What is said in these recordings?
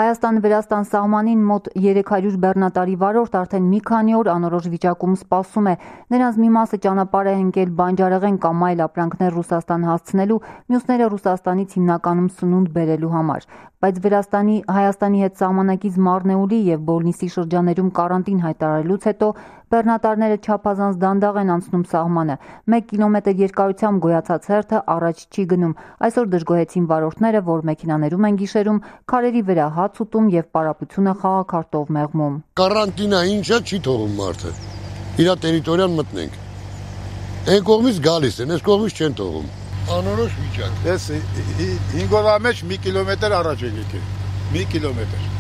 Հայաստան-Վրաստան սահմանին մոտ 300 բեռնատարի վարորդ արդեն մի քանի օր անորոշ վիճակում սպասում է։ Նրանց մի մասը ճանապարհ է ընկել բանջարեղեն կամ այլ ապրանքներ Ռուսաստան հասցնելու, մյուսները Ռուսաստանից հիմնականում սնունդ բերելու համար։ Բայց Վրաստանի Հայաստանի հետ սահմանակից Մարնեուլի եւ Բոլնիսի շրջաներում կարանտին հայտարարելուց հետո բեռնատարները չափազանց դանդաղ են անցնում սահմանը։ 1 կիլոմետր երկարությամբ գոյացած հերթը առաջ չի գնում։ Այսօր դժգոհեցին վարորդները, որ մեքենաներում են գիշերում, քարերի վրա հաց ուտում եւ պարապությունը խաղաքարտով մեղմում։ Կարանտինա ինչա չի թողում մարդը։ Իրա տերիտորիան մտնենք։ Այն կողմից գալիս են, այս կողմից չեն թողում։ Անորոշ վիճակ։ Ես 5 օրվա մեջ 1 կիլոմետր առաջ եք եկել։ 1 կիլոմետր։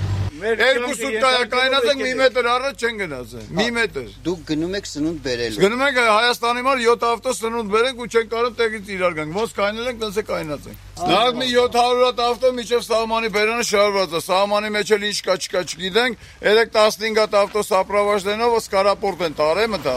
Երկու կայնած ենք մի մետր առաջ չեն գնացել։ Մի մետր։ Դուք գնում եք սնունդ բերելու։ Գնում ենք Հայաստանի մար 7 ավտո սնունդ բերենք ու չեն կարող տեղից իրար գանք։ Ոնց կայնել ենք, տենց է կայնած ենք։ Նախ մի 700 հատ ավտո միջև սահմանի բերանը շարված է։ Սահմանի մեջ էլ ինչ կա չկա չգիտենք։ 3-15 հատ ավտո սապրավաժներով սկարապորտ են տարել մտա։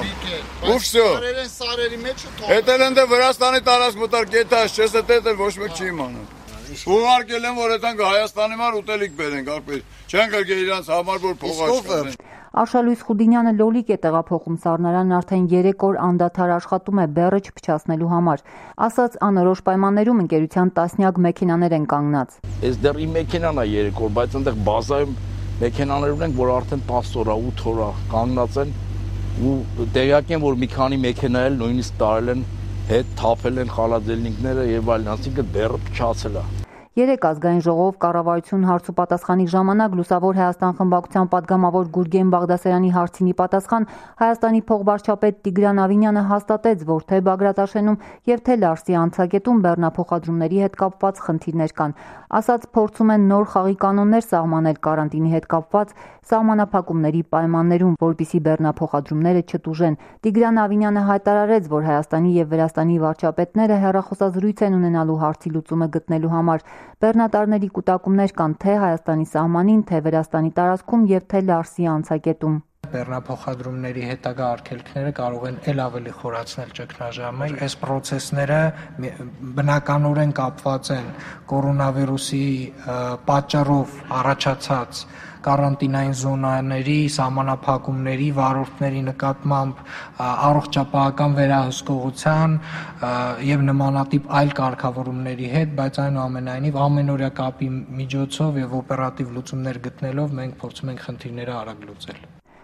Ու վсё։ Սարերի մեջ ու թող։ Էտել են դե Վրաստանի տարածք մտար կետաշ, չես էտել ոչ մեկ չի իմանում։ Ուղարկել են, որ այդանք Հայաստանի մար ուտելիք բերենք, արբեր։ Չեն գրգել իրանց համար, որ փող աշխատեն։ Արշալույս Խուդինյանը լոլիկ է տեղափոխում սառնարանն արդեն 3 օր անդադար աշխատում է բեռը չփչացնելու համար։ Ասած անորոշ պայմաններում ընկերության տասնյակ մեքենաներ են կանգնած։ Այս դեռ իմ մեքենան է 3 օր, բայց այնտեղ բազայում մեքենաներ ունենք, որ արդեն 10 օր, 8 օր կանգնած են ու տեղյակ են, որ մի քանի մեքենա էլ նույնիսկ տարել են հետ թափել են խալաձելնիկները եւ այլն, ասինքն բեռը փչացել է։ 3 ազգային ժողով կառավարություն հարց ու պատասխանի ժամանակ Լուսավոր Հայաստան խմբակցության падգամավոր Գուրգեն Բաղդասարյանի հարցինի պատասխան Հայաստանի փոխվարչապետ Տիգրան Ավինյանը հաստատեց, որ թե Բագրատաշենում եւ թե Լարսի անցակետում բեռնափոխադրումների հետ կապված խնդիրներ կան։ Ասած փորձում են նոր խաղի կանոններ սահմանել կարանտինի հետ կապված սահմանափակումների պայմաններում, որպիսի բեռնափոխադրումները չտուժեն։ Տիգրան Ավինյանը հայտարարեց, որ Հայաստանի եւ Վրաստանի վարչապետները հեռախոսազրույց են ունենալու հարցի լուծումը գտնելու համար։ Բեռնատարների կուտակումներ կան թե Հայաստանի սահմանին, թե Վրաստանի տարածքում եւ թե Լարսի անցակետում։ Բեռնափոխադրումների հետագա արգելքները կարող են ել ավելի խորացնել ճգնաժամը։ Այս process-ները բնականորեն կապված են կորոնավիրուսի պատճառով առաջացած կարանտինային զոնաների, սահմանափակումների, վարորդների նկատմամբ առողջապահական վերահսկողության եւ նմանատիպ այլ կարգավորումների հետ, բայց այնուամենայնիվ ամենօրյա կապի միջոցով եւ օպերատիվ լուծումներ գտնելով մենք փորձում ենք խնդիրները արագ լուծել։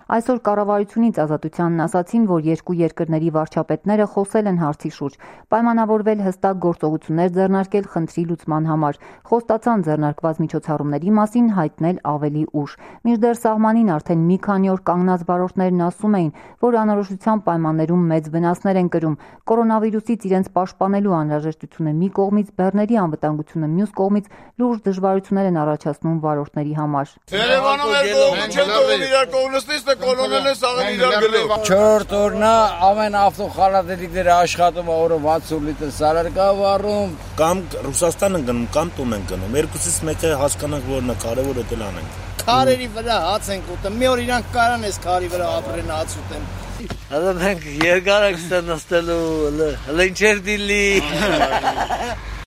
Այսօր կառավարությունից Ազատությանն ասացին, որ երկու երկրների վարչապետները խոսել են հարցի շուրջ, պայմանավորվել հստակ գործողություններ ձեռնարկել խնդրի լուծման համար, խոստացան ձեռնարկված միջոցառումների մասին հայտնել ավելի ուշ։ Մինչդեռ սահմանին արդեն մի քանի օր կանգնած վարորդներն ասում էին, որ անորոշության պայմաններում մեծ վնասներ են կրում, կորոնավիրուսից իրենց պաշտպանելու անհրաժեշտությունը մի կողմից, բեռների անվտանգությունը մյուս կողմից լուրջ դժվարություններ են առաջացնում վարորդների համար։ Երևանում էր կողմը չեն թողում իրար կողմնստից Կոլոնելը սաղեն իրար գլով։ 4 օրնա ամեն ավտո խալատելիքները աշխատում օրը 60 լիտր սարար կա վառում։ Կամ Ռուսաստան են գնում, կամ տուն են գնում։ Երկուսից մեկը հասկանանք, որն է կարևորը դել անենք։ Քարերի վրա հաց ենք ուտում։ Մի օր իրանք կարան էս քարի վրա ապրեն հաց ուտեն։ Հələ մենք երկար ենք ստանալու, հələ ինչեր դիլի։